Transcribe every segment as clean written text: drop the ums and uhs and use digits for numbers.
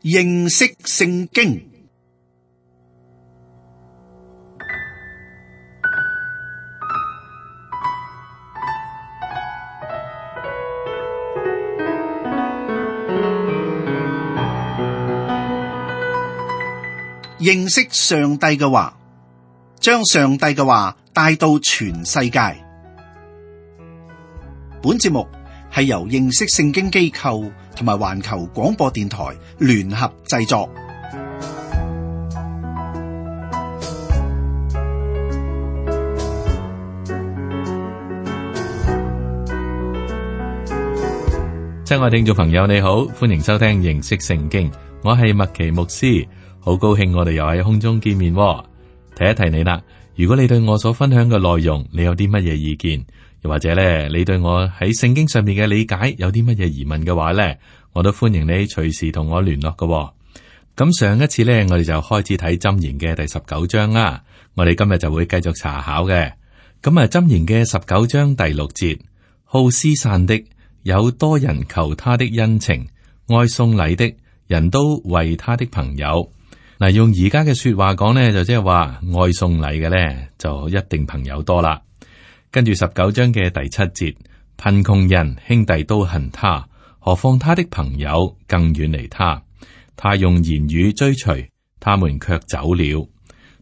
認識聖經。認識上帝嘅話，將上帝嘅話帶到全世界。本節目係由認識聖經機構同埋環球廣播電台聯合製作。親愛聽眾朋友，你好，歡迎收聽認識聖經，我係麥奇牧師，好高興我哋又喺空中見面。提一提你啦，如果你對我所分享嘅內容，你有啲乜嘢意見，又或者咧，你對我喺聖經上面嘅理解有啲乜嘢疑問嘅話咧，我都歡迎你隨時同我聯絡嘅。咁上一次咧，我哋就開始睇箴言嘅第19章啦。我哋今日就會繼續查考嘅。咁啊，箴言嘅19章第6節，好施散的有多人求他的恩情，愛送禮的人都為他的朋友。嗱，用而家嘅說話講呢，就即係話愛送禮嘅呢，就一定朋友多啦。跟住19章嘅第7節，貧窮人兄弟都恨他，何況他的朋友更遠離他。他用言語追隨，他們卻走了。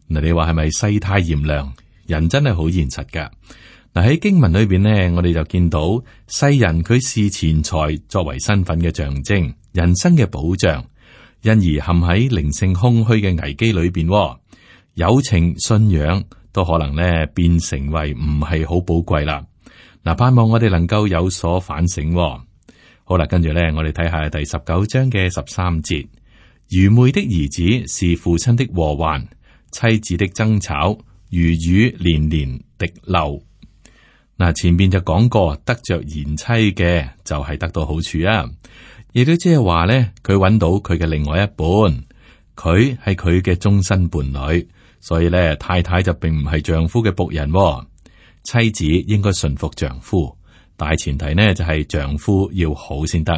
嗱，你話係咪世態炎涼？人真係好現實噶。嗱，喺經文裏邊呢，我哋就見到世人佢視錢財作為身份嘅象徵，人生嘅保障。因而陷喺靈性空虛嘅危機裏邊，友情信仰都可能咧變成為唔係好寶貴啦。嗱，盼望我哋能夠有所反省。好啦，跟住咧，我哋睇下第19章嘅13節，愚昧的兒子是父親的禍患，妻子的爭吵如雨連連滴漏。嗱，前邊就講過，得着賢妻嘅就係得到好處啊。亦都即係話咧，佢揾到佢嘅另外一半，佢係佢嘅終身伴侶，所以咧，太太就並唔係丈夫嘅僕人。妻子應該順服丈夫，大前提呢就係丈夫要好先得。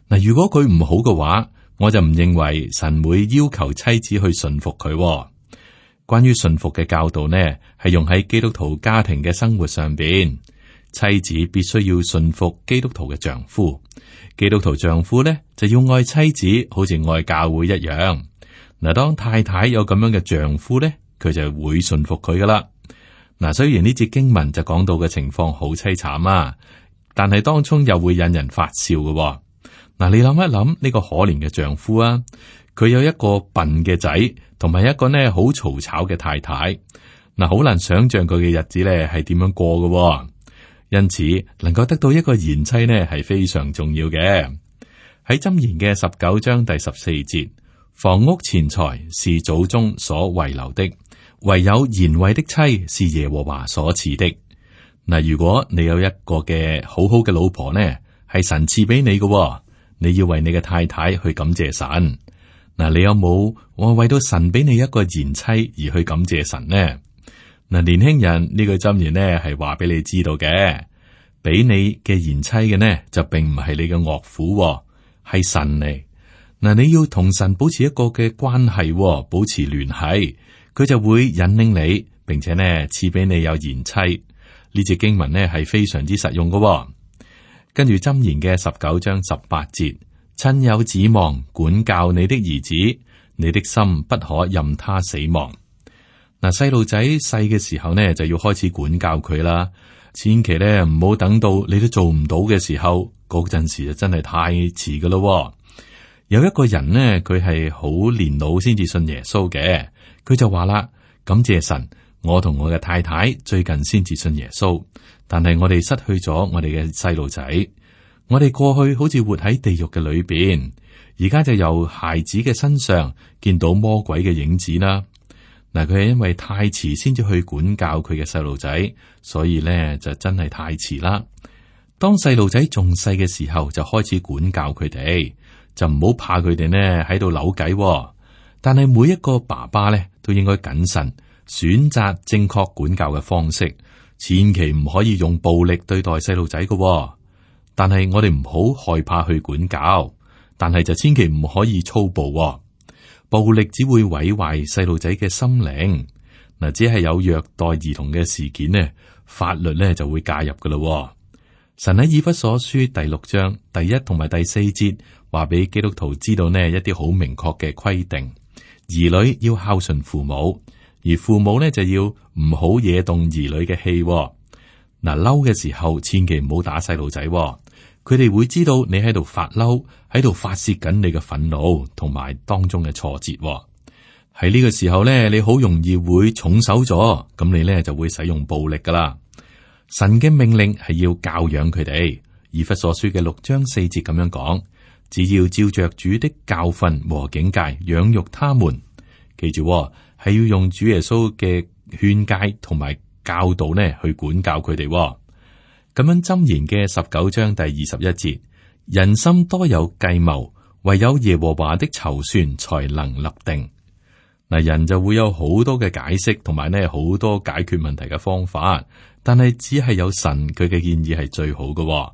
嗱，如果佢唔好嘅話，我就唔認為神會要求妻子去順服佢。關於順服嘅教導呢，係用喺基督徒家庭嘅生活上邊，妻子必須要順服基督徒嘅丈夫。基督徒丈夫咧就要愛妻子，好似愛教會一樣。嗱，當太太有咁樣嘅丈夫咧，佢就會順服佢噶啦。嗱，雖然呢節經文就講到嘅情況好淒慘啊，但係當中又會引人發笑嘅。嗱，你諗一諗呢個可憐嘅丈夫啊，佢有一個笨嘅仔，同埋一個呢好嘈吵嘅太太。嗱，好難想象佢嘅日子咧係點樣過嘅。因此，能夠得到一個賢妻呢，係非常重要嘅。喺箴言嘅19章第14節，房屋錢財是祖宗所遺留的，唯有賢惠的妻是耶和華所賜的。嗱，如果你有一個嘅好好嘅老婆呢，係神賜俾你嘅，你要為你嘅太太去感謝神。嗱，你有冇為到神俾你一個賢妻而去感謝神呢？嗱，年輕人，呢句箴言呢係話俾你知道嘅，俾你嘅賢妻嘅呢就並唔係你嘅岳父，係神嚟。嗱，你要同神保持一個嘅關係，保持聯繫，佢就會引領你，並且呢賜俾你有賢妻。呢節經文呢係非常之實用嘅。跟住箴言嘅19章18節，親友指望管教你的兒子，你的心不可任他死亡。嗱，細路仔細嘅時候呢，就要開始管教佢啦。千祈咧唔好等到你都做唔到嘅時候，嗰陣時就真係太遲噶咯。有一個人呢，佢係好年老先至信耶穌嘅，佢就話啦：感謝神，我同我嘅太太最近先至信耶穌，但係我哋失去咗我哋嘅細路仔。我哋過去好似活喺地獄嘅裏邊，而家就由孩子嘅身上見到魔鬼嘅影子啦。嗱，佢係因為太遲先至去管教佢嘅細路仔，所以咧就真係太遲啦。當細路仔仲細嘅時候就開始管教佢哋，就唔好怕佢哋呢喺度扭計。但係每一個爸爸咧都應該謹慎，選擇正確管教嘅方式，千祈唔可以用暴力對待細路仔嘅。但係我哋唔好害怕去管教，但係就千祈唔可以粗暴喎。暴力只會毀壞細路仔嘅心靈。嗱，只係有虐待兒童嘅事件呢，法律呢就會介入噶啦。神喺以弗所書第6章第1同埋第4節話俾基督徒知道呢一啲好明確嘅規定，兒女要孝順父母，而父母呢就要唔好惹動兒女嘅氣。嗱，嬲嘅時候千祈唔好打細路仔，佢哋會知道你喺度發嬲，喺度發洩緊你嘅憤怒同埋當中嘅挫折。喺呢個時候咧，你好容易會重手咗，咁你咧就會使用暴力噶啦。神嘅命令係要教養佢哋，以弗所書嘅6章4節咁樣講，只要照着主的教訓和警戒養育他們。記住，係要用主耶穌嘅勸誡同埋教導呢去管教佢哋。咁樣箴言嘅19章第21節，人心多有計謀，唯有耶和華的籌算才能立定。嗱，人就會有好多嘅解釋，同埋呢好多解決問題嘅方法，但係只係有神佢嘅建議係最好嘅。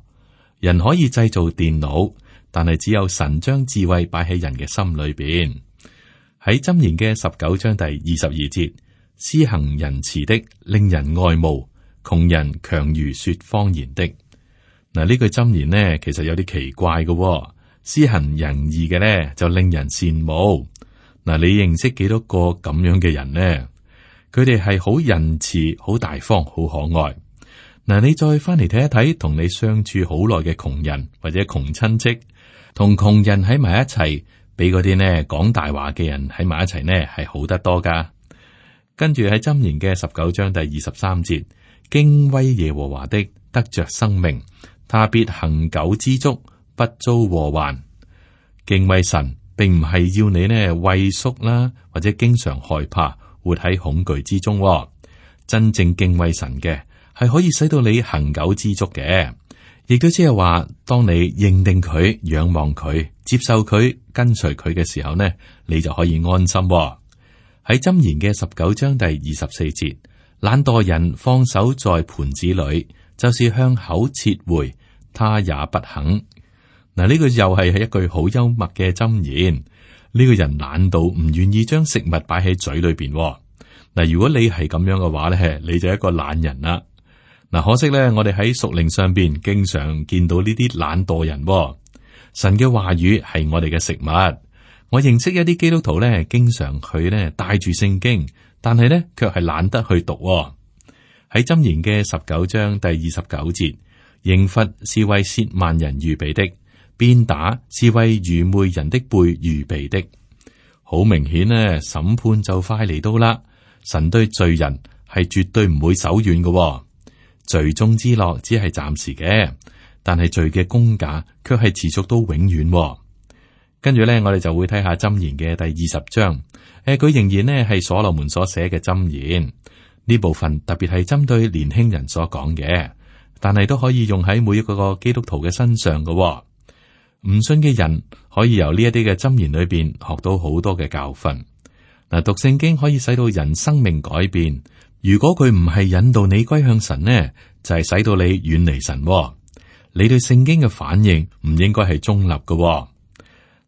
人可以製造電腦，但係只有神將智慧擺喺人嘅心裏邊。喺箴言嘅19章第22節，施行仁慈的令人愛慕，窮人強如說謊言的。嗱，呢句箴言呢其實有啲奇怪嘅，施行仁義嘅呢就令人羨慕。嗱，你認識幾多個咁樣嘅人呢？佢哋係好仁慈、好大方、好可愛。嗱，你再翻嚟睇一睇，同你相處好耐嘅窮人或者窮親戚，同窮人喺埋一齊，比嗰啲呢講大話嘅人喺埋一齊呢係好得多噶。跟住喺箴言嘅19章第23節，敬畏耶和華的得着生命，他必恆久知足，不遭禍患。敬畏神，並唔係要你呢畏縮啦，或者經常害怕，活喺恐懼之中。真正敬畏神嘅，係可以使到你恆久知足嘅，亦都即係話，當你認定佢、仰望佢、接受佢、跟隨佢嘅時候呢，你就可以安心。喺箴言嘅19章第24節，懶惰人放手在盤子裏，就是向口撤回，他也不肯。嗱，呢個又係一句好幽默嘅箴言。呢個人懶到唔願意將食物擺喺嘴裏邊。嗱，如果你係咁樣嘅話咧，你就係一個懶人啦。嗱，可惜咧，我哋喺屬靈上邊經常見到呢啲懶惰人。神嘅話語係我哋嘅食物。我認識一啲基督徒咧，經常佢咧帶住聖經，但係咧卻係懶得去讀。喺箴言嘅19章第29節，刑罰是為褻慢人預備的，鞭打是為愚昧人的背預備的。好明顯呢，審判就快嚟到啦。神對罪人係絕對唔會手軟嘅。罪中之樂只係暫時嘅，但係罪嘅工價卻係持續到永遠。跟住咧，我哋就會睇下箴言嘅第20章。佢仍然呢係所羅門所寫嘅箴言，呢部分特別係針對年輕人所講嘅，但係都可以用喺每一個基督徒嘅身上嘅。唔信嘅人可以由呢一啲嘅箴言裏邊學到好多嘅教訓。嗱，讀聖經可以使到人生命改變。如果佢唔係引導你歸向神呢，就係使到你遠離神。你對聖經嘅反應唔應該係中立嘅。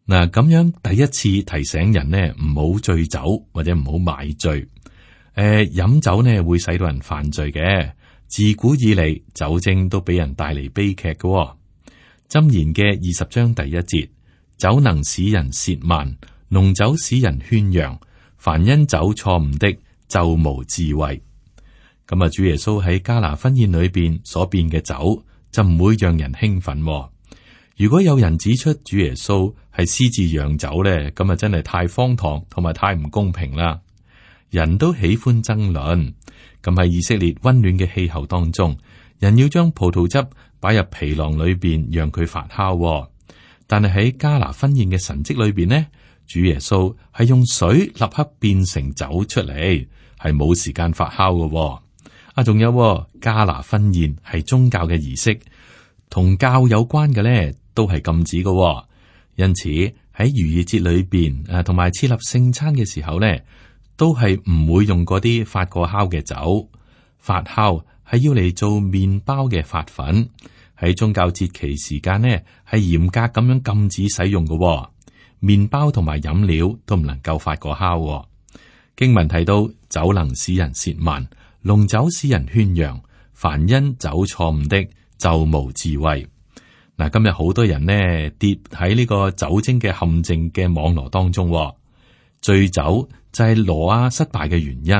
嗱，咁樣第一次提醒人呢，唔好醉酒或者唔好買醉。飲酒呢會使到人犯罪嘅。自古以嚟，酒精都俾人帶嚟悲劇嘅。箴言嘅20章第1節，酒能使人褻慢，濃酒使人喧嚷。凡因酒錯誤的，就無智慧。咁啊，主耶穌喺迦拿婚宴裏邊所變嘅酒，就唔會讓人興奮。如果有人指出主耶穌係私自釀酒咧，咁啊真係太荒唐同埋太唔公平啦。人都喜歡爭論，咁喺以色列溫暖嘅氣候當中，人要將葡萄汁擺入皮囊裏邊，讓佢發酵。但係喺迦拿婚宴嘅神蹟裏邊呢，主耶穌係用水立刻變成酒出嚟，係冇時間發酵嘅。仲有迦拿婚宴係宗教嘅儀式，同教有關嘅咧，都係禁止嘅。因此喺逾越節裏邊同埋設立聖餐嘅時候咧，都係唔會用嗰啲發過酵嘅酒。發酵係要嚟做麵包嘅發粉，喺宗教節期時間呢，係嚴格咁樣禁止使用嘅。麵包同埋飲料都唔能夠發過酵。經文提到酒能使人褻慢，濃酒使人喧嚷，凡因酒錯誤的就無智慧。嗱，今日好多人呢跌喺呢個酒精嘅陷阱嘅網絡當中。醉酒就係挪亞失敗嘅原因。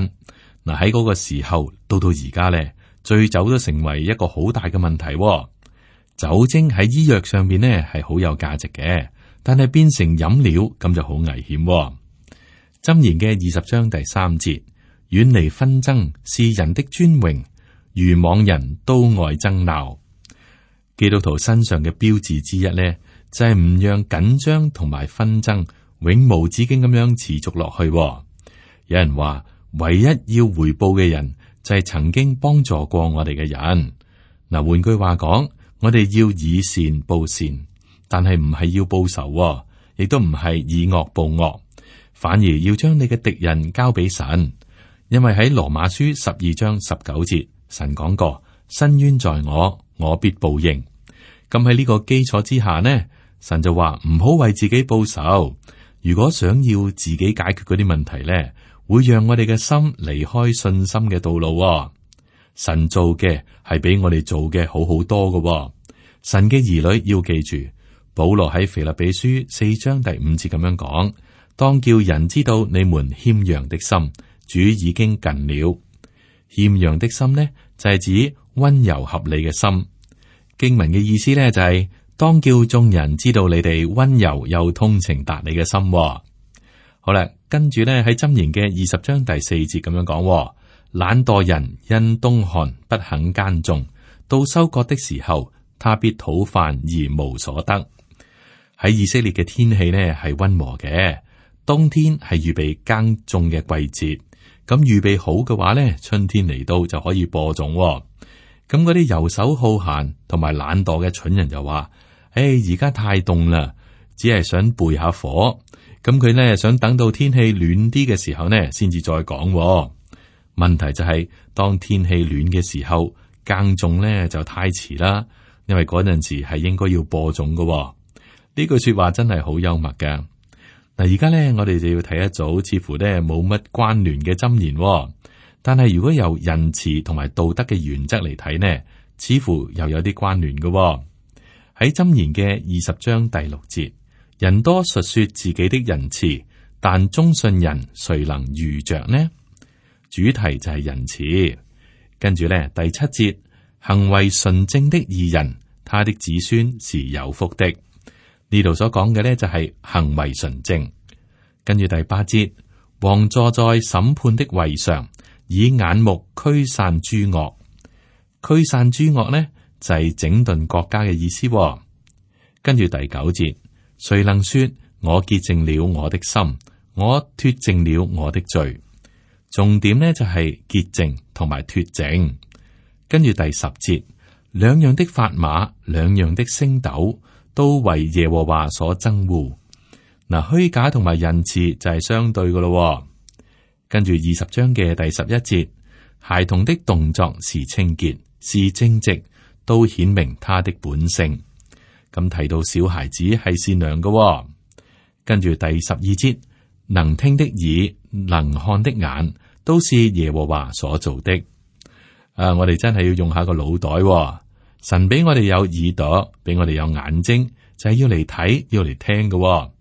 嗱，喺嗰個時候到而家呢，醉酒都成為一個好大嘅問題。酒精喺醫藥上面呢係好有價值嘅，但係變成飲料咁就好危險。箴言嘅20章第3節，遠離紛爭是人的尊榮，愚妄人都愛爭鬧。基督徒身上嘅標誌之一呢，就係唔讓緊張同埋紛爭永無止境咁樣持續落去。有人話，唯一要回報嘅人就係曾經幫助過我哋嘅人。嗱，換句話講，我哋要以善報善，但係唔係要報仇，亦都唔係以惡報惡，反而要將你嘅敵人交俾神。因為喺羅馬書12章19節，神講過：伸冤在我，我必報應。咁喺呢個基礎之下呢，神就話唔好為自己報仇。如果想要自己解決嗰啲問題呢，會讓我哋嘅心離開信心嘅道路。神做嘅係比我哋做嘅好好多嘅。神嘅兒女要記住，保羅喺腓立比書4章第5節咁樣講：當叫人知道你們謙讓的心，主已經近了。謙讓的心呢，就係指溫柔合理嘅心。經文嘅意思呢，就係當叫眾人知道你哋溫柔又通情達理嘅心。好啦，跟住呢喺箴言嘅20章第4節咁樣講：懶惰人因冬寒不肯耕種，到收割的時候，他必討飯而無所得。喺以色列嘅天氣呢係溫和嘅，冬天係預備耕種嘅季節。咁預備好嘅話呢，春天嚟到就可以播種。咁嗰啲游手好閒同埋懶惰嘅蠢人就話：而家太凍啦，只係想背下火。咁佢呢想等到天氣暖啲嘅時候呢，先至再講。問題就係，當天氣暖嘅時候，耕種呢就太遲啦，因為嗰陣時係應該要播種嘅。呢句說話真係好幽默㗎。嗱，而家呢，我哋就要睇一組似乎呢冇乜關聯嘅箴言。但係如果由仁慈同埋道德嘅原則嚟睇呢，似乎又有啲關聯嘅。喺箴言嘅20章第6節，人多述說自己的仁慈，但忠信人誰能遇着呢？主題就係仁慈。跟住呢，第7節，行為純正的義人，他的子孫是有福的。呢度所講嘅呢，就係行為純正。跟住第8節，王坐在審判的位上，以眼目驅散諸惡。驅散諸惡呢，就係整頓國家嘅意思。跟住第9節，誰能說我潔淨了我的心，我脫淨了我的罪？重點呢，就係潔淨同埋脫淨。跟住第10節，兩樣的法碼，兩樣的升斗，都為耶和華所憎惡。嗱，虛假同埋仁慈就係相對噶咯。跟住20章嘅第11節，孩童的動作是清潔，是正直，都顯明他的本性。咁提到小孩子係善良噶。跟住第12節，能聽的耳，能看的眼，都是耶和華所做的。我哋真係要用下個腦袋。神俾我哋有耳朵，俾我哋有眼睛，就係要嚟睇，要嚟聽噶。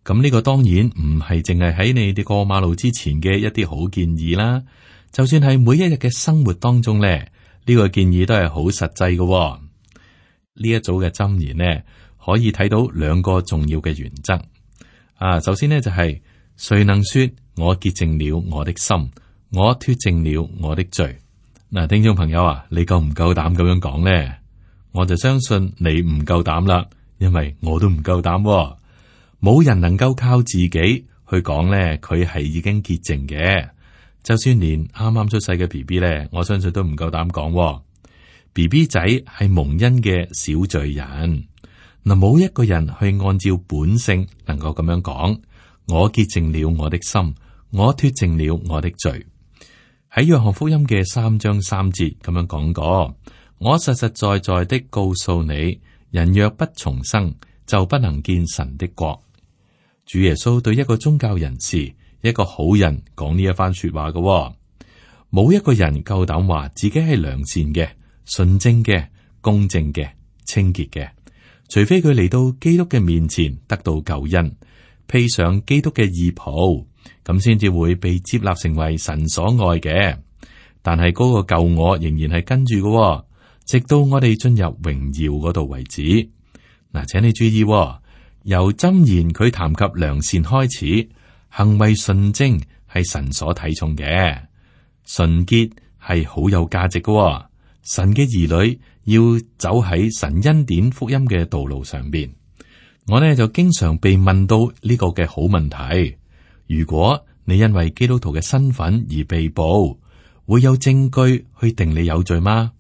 咁呢個當然唔係淨係喺你哋過馬路之前嘅一啲好建議啦，就算係每一日嘅生活當中咧，呢個建議都係好實際嘅。呢一組嘅箴言呢，可以睇到2個重要嘅原則。首先呢，就係誰能說我潔淨了我的心，我脫淨了我的罪？嗱，聽眾朋友啊，你夠唔夠膽咁樣講呢？我就相信你唔夠膽啦，因為我都唔夠膽。冇人能夠靠自己去講咧，佢係已經潔淨嘅。就算連啱啱出世嘅 BB 咧，我相信都唔夠膽講。BB 仔係蒙恩嘅小罪人。嗱，冇一個人去按照本性能夠咁樣講，我潔淨了我的心，我脫淨了我的罪。喺約翰福音嘅3章3節咁樣講過，我實實在在的告訴你，人若不重生，就不能見神的國。主耶穌對一個宗教人士，一個好人講呢一番說話嘅。冇一個人夠膽話自己係良善嘅、純正嘅、公正嘅、清潔嘅，除非佢嚟到基督嘅面前得到救恩，披上基督嘅義袍，咁先至會被接納成為神所愛嘅。但係嗰個舊我仍然係跟住嘅，直到我哋進入榮耀嗰度為止。嗱，請你注意，由箴言佢談及良善開始，行為純正係神所睇重嘅，純潔係好有價值嘅。神嘅兒女要走喺神恩典福音嘅道路上邊。我呢就經常被問到呢個嘅好問題：如果你因為基督徒嘅身份而被捕，會有證據去定你有罪嗎？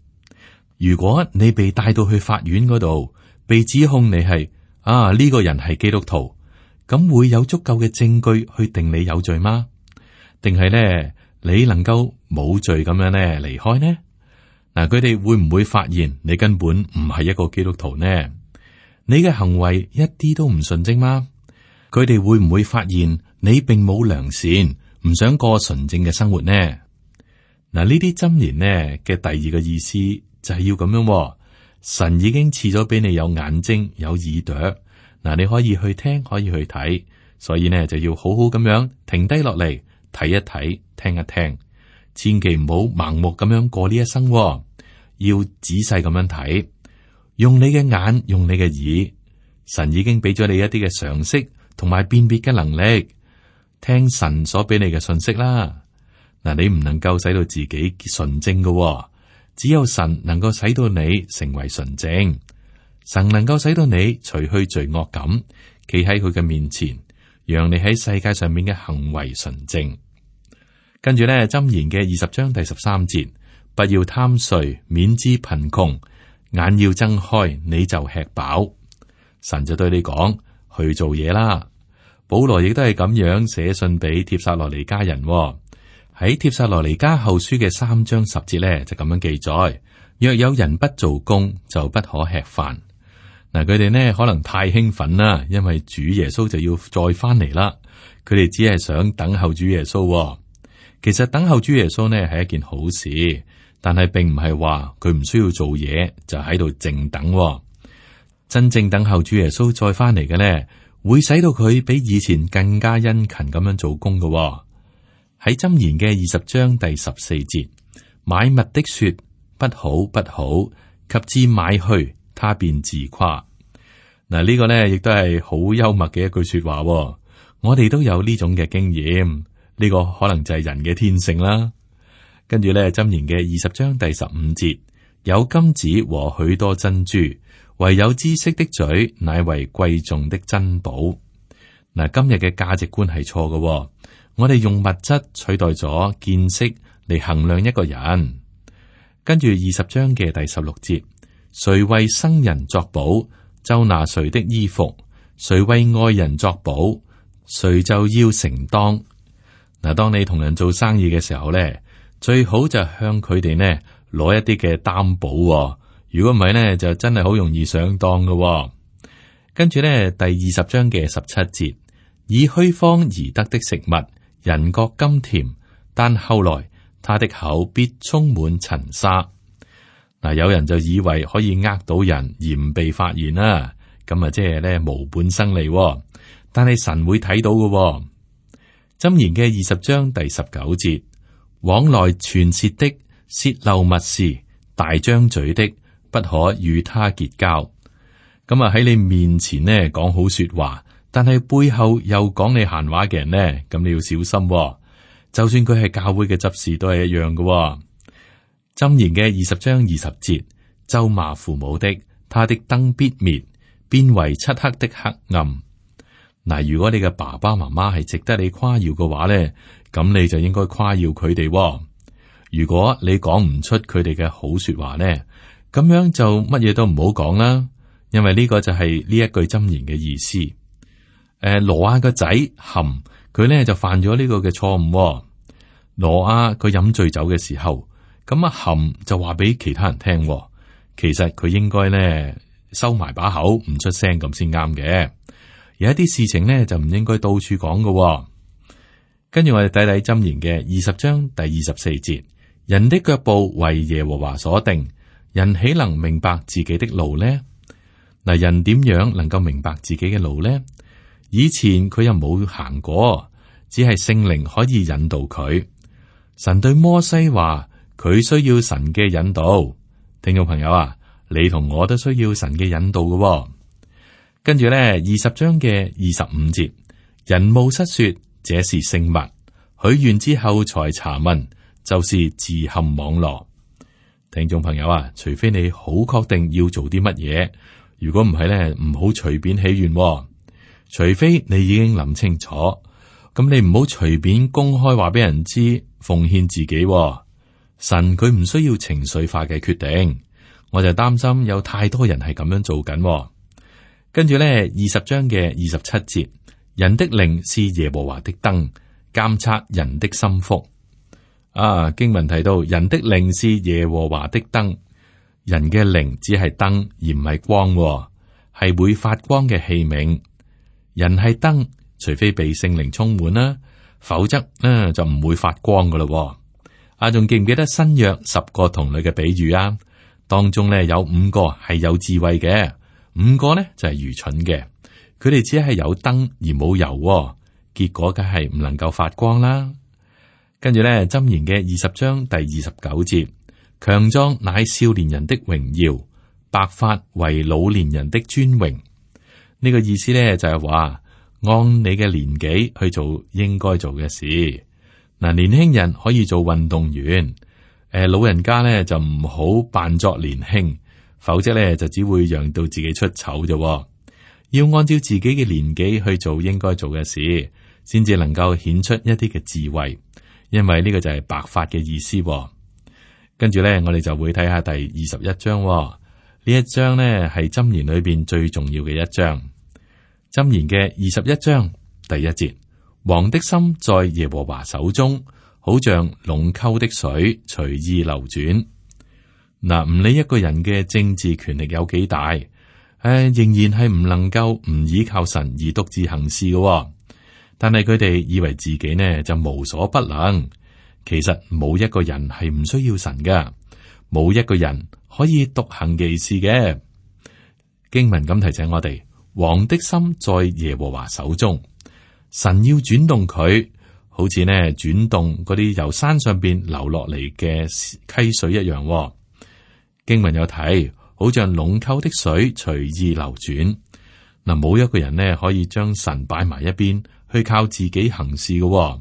如果你被帶到去法院嗰度，被指控你係呢個人係基督徒，咁會有足夠嘅證據去定你有罪嗎？定係呢，你能夠冇罪咁樣呢離開呢？嗱，佢哋會唔會發現你根本唔係一個基督徒呢？你嘅行為一啲都唔純正嗎？佢哋會唔會發現你並冇良善，唔想過純正嘅生活呢？嗱，呢啲箴言呢嘅第二個意思就係要咁樣，神已經賜咗俾你有眼睛有耳朵，嗱，你可以去聽，可以去睇，所以呢就要好好咁樣停低落嚟睇一睇，聽一聽。千祈唔好盲目咁樣過呢一生，要仔細咁樣睇，用你嘅眼，用你嘅耳。神已經俾咗你一啲嘅常識同埋辨別嘅能力，聽神所俾你嘅信息啦。嗱，你唔能夠使到自己純正嘅，只有神能夠使到你成為純正。神能夠使到你除去罪惡感，企喺佢嘅面前，讓你喺世界上面嘅行為純正。跟住咧，箴言嘅20章第13節，不要貪睡，免致貧窮；眼要睜開，你就吃飽。神就對你講，去做嘢啦。保羅亦都係咁樣寫信俾帖撒羅尼迦人，喺帖撒羅尼迦後書嘅3章10節咧，就咁樣記載：若有人不做工，就不可吃飯。嗱，佢哋呢可能太興奮啦，因為主耶穌就要再翻嚟啦。佢哋只係想等候主耶穌。其實等候主耶穌呢係一件好事，但係並唔係話佢唔需要做嘢就喺度靜等。真正等候主耶穌再翻嚟嘅呢，會使到佢比以前更加殷勤咁樣做工嘅。喺箴言嘅20章第14節，買物的說不好不好，及至買去，他便自誇。嗱，呢個呢亦都係好幽默嘅一句說話。我哋都有呢種嘅經驗。呢個可能就係人嘅天性啦。跟住咧，箴言嘅20章第15節，有金子和許多珍珠，唯有知識的嘴，乃為貴重的珍寶。嗱，今日嘅價值觀係錯嘅。我哋用物質取代咗見識嚟衡量一個人。跟住20章嘅第16節，誰為生人作保，就拿誰的衣服；誰為愛人作保，誰就要承當。嗱，當你同人做生意嘅時候咧，最好就向佢哋呢攞一啲嘅擔保。如果唔係呢，就真係好容易上當㗎。跟住咧，第20章嘅17節，以虛謊而得的食物，人覺甘甜，但後來他的口必充滿塵沙。嗱，有人就以為可以呃到人而唔被發現啦，咁啊即係咧無本生利。但係神會睇到㗎。箴言嘅20章第19節，往來傳舌的，泄漏密事，大張嘴的，不可與他結交。咁啊喺你面前呢講好說話，但係背後又講你閒話嘅人呢，咁你要小心。就算佢係教會嘅執事都係一樣嘅。箴言嘅20章20節，咒罵父母的，他的燈必滅，變為漆黑的黑暗。嗱，如果你嘅爸爸媽媽係值得你誇耀嘅話咧，咁你就應該誇耀佢哋。如果你講唔出佢哋嘅好說話咧，咁樣就乜嘢都唔好講啦，因為呢個就係呢一句箴言嘅意思。挪亞個仔含佢咧就犯咗呢個嘅錯誤。挪亞佢飲醉酒嘅時候，咁啊含就話俾其他人聽，其實佢應該咧收埋把口，唔出聲咁先啱嘅。有一啲事情咧就唔應該到處講嘅。跟住我哋睇睇箴言嘅20章第24節，人的腳步為耶和華所定，人豈能明白自己的路呢？嗱，人點樣能夠明白自己嘅路呢？以前佢又冇行過，只係聖靈可以引導佢。神對摩西話，佢需要神嘅引導。聽眾朋友啊，你同我都需要神嘅引導嘅。跟住咧，20章嘅25節，人冒失說這是聖物，許願之後才查問，就是自陷網羅。聽眾朋友啊，除非你好確定要做啲乜嘢，如果唔係咧，唔好隨便起願。除非你已經諗清楚，咁你唔好隨便公開話俾人知奉獻自己。神佢唔需要情緒化嘅決定，我就擔心有太多人係咁樣做緊。跟住咧，20章嘅27節，人的靈是耶和華的燈，監察人的心腹。經文提到人的靈是耶和華的燈，人嘅靈只係燈而唔係光，係會發光嘅器皿。人係燈，除非被聖靈充滿啦，否則就唔會發光噶咯。仲記唔記得新約10個童女嘅比喻啊？當中咧有5個係有智慧嘅，5個呢就係愚蠢嘅。佢哋只係有燈而冇油，結果梗係唔能夠發光啦。跟住咧，箴言嘅20章第29節，強壯乃少年人的榮耀，白髮為老年人的尊榮。呢個意思咧就係話，按你嘅年紀去做應該做嘅事。嗱，年輕人可以做運動員，老人家咧就唔好扮作年輕，否則咧就只會讓到自己出醜啫。要按照自己嘅年紀去做應該做嘅事，先至能夠顯出一啲嘅智慧。因為呢個就係白髮嘅意思。跟住咧，我哋就會睇下第21章。呢一章呢係箴言裏邊最重要嘅一章。箴言嘅21章第1節，王的心在耶和華手中，好像隴溝的水隨意流轉。嗱，唔理一個人嘅政治權力有幾大，仍然係唔能夠唔依靠神而獨自行事嘅。但係佢哋以為自己呢就無所不能，其實冇一個人係唔需要神噶，冇一個人可以獨行其事嘅。經文咁提醒我哋，王的心在耶和華手中，神要轉動佢，好似呢轉動嗰啲由山上邊流落嚟嘅溪水一樣。經文有睇，好像隴溝的水隨意流轉。嗱，冇一個人呢可以將神擺埋一邊，去靠自己行事嘅。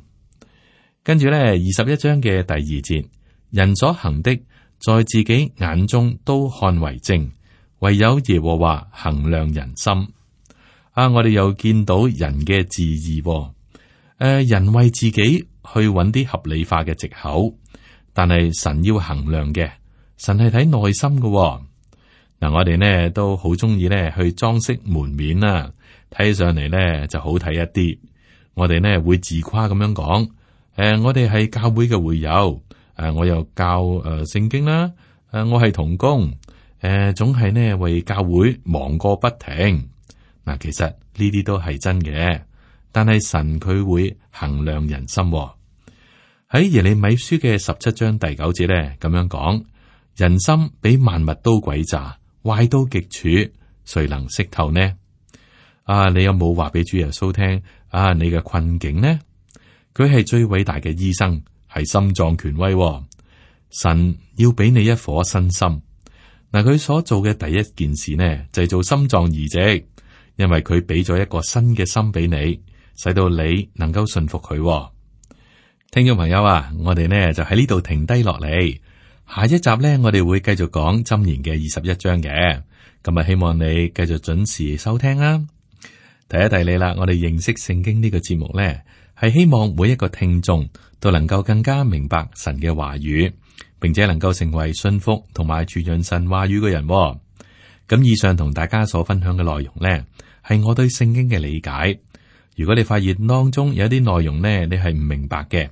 跟住咧，21章嘅第2節，人所行的，在自己眼中都看為正，唯有耶和華衡量人心。我哋又見到人嘅自義，人為自己去揾啲合理化嘅藉口，但係神要衡量嘅，神係睇內心嘅。嗱，我哋呢都好中意咧去裝飾門面啦，睇起上嚟咧就好睇一啲。我哋呢會自誇咁樣講，我哋係教會嘅會友，我又教聖經啦，我係同工，總係呢為教會忙個不停。嗱，其實呢啲都係真嘅，但係神佢會衡量人心。喺耶利米書嘅17章第9節咧咁樣講，人心比萬物都詭詐，壞到極處，誰能識透呢？你有冇話俾主耶穌聽？你嘅困境呢？佢係最偉大嘅醫生，係心臟權威。神要俾你一顆新心。嗱，佢所做嘅第一件事呢，就係做心臟移植，因為佢俾咗一個新嘅心俾你，使到你能夠信服佢。聽眾朋友啊，我哋呢就喺呢度停低落嚟，下一集呢，我哋會繼續講箴言嘅21章嘅。咁啊，希望你繼續準時收聽啦。提一提你啦，我哋認識聖經呢個節目呢，係希望每一個聽眾都能夠更加明白神嘅話語，並且能夠成為信服同埋傳揚神話語嘅人。咁以上同大家所分享嘅內容呢，係我對聖經嘅理解。如果你發現當中有啲內容呢，你係唔明白嘅，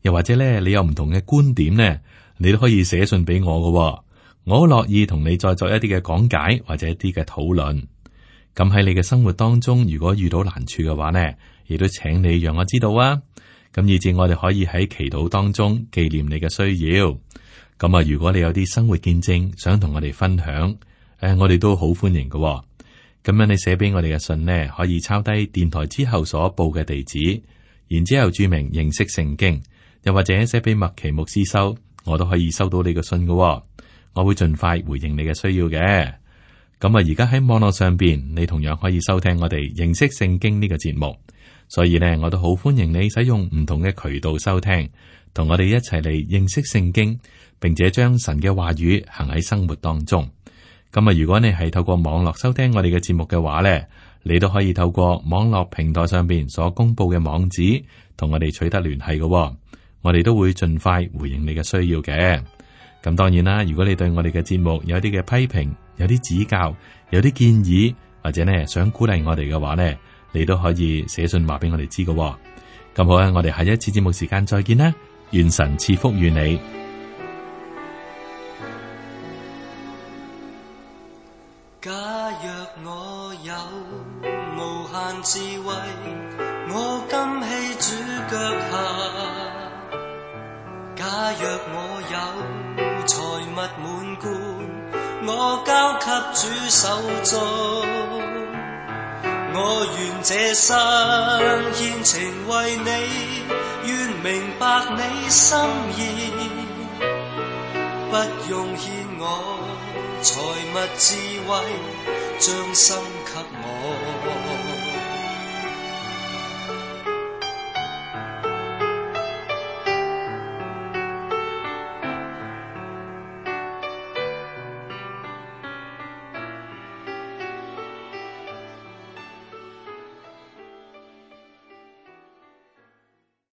又或者呢，你有唔同嘅觀點呢，你都可以寫信俾我嘅。我好樂意同你再作一啲嘅講解或者一啲嘅討論。咁喺你嘅生活當中，如果遇到難處嘅話呢，亦都請你讓我知道啊。咁以至我哋可以喺祈禱當中紀念你嘅需要。咁啊，如果你有啲生活見證想同我哋分享，我哋都好歡迎嘅。咁樣你寫俾我哋嘅信呢，可以抄低電台之後所報嘅地址，然之後注明認識聖經，又或者寫俾麥奇牧師收，我都可以收到你嘅信嘅。我會盡快回應你嘅需要嘅。咁啊，而家喺網絡上邊，你同樣可以收聽我哋認識聖經呢個節目。所以呢，我都好歡迎你使用唔同嘅渠道收聽，同我哋一齊嚟認識聖經，並且將神嘅話語行喺生活當中。咁啊，如果你係透過網絡收聽我哋嘅節目嘅話呢，你都可以透過網絡平台上邊所公布嘅網址，同我哋取得聯繫嘅。我哋都會盡快回應你嘅需要嘅。咁當然啦，如果你對我哋嘅節目有啲嘅批評、有啲指教、有啲建議，或者呢想鼓勵我哋嘅話呢，你都可以寫信話俾我哋知嘅。咁好啊，我哋下一次節目時間再見啦，願神賜福於你。假若我有無限智慧，我甘希主腳下。假若我有財物滿貫，我交給主手中。我願這生獻情為你，願明白你心意，不用獻我財物智慧，將心給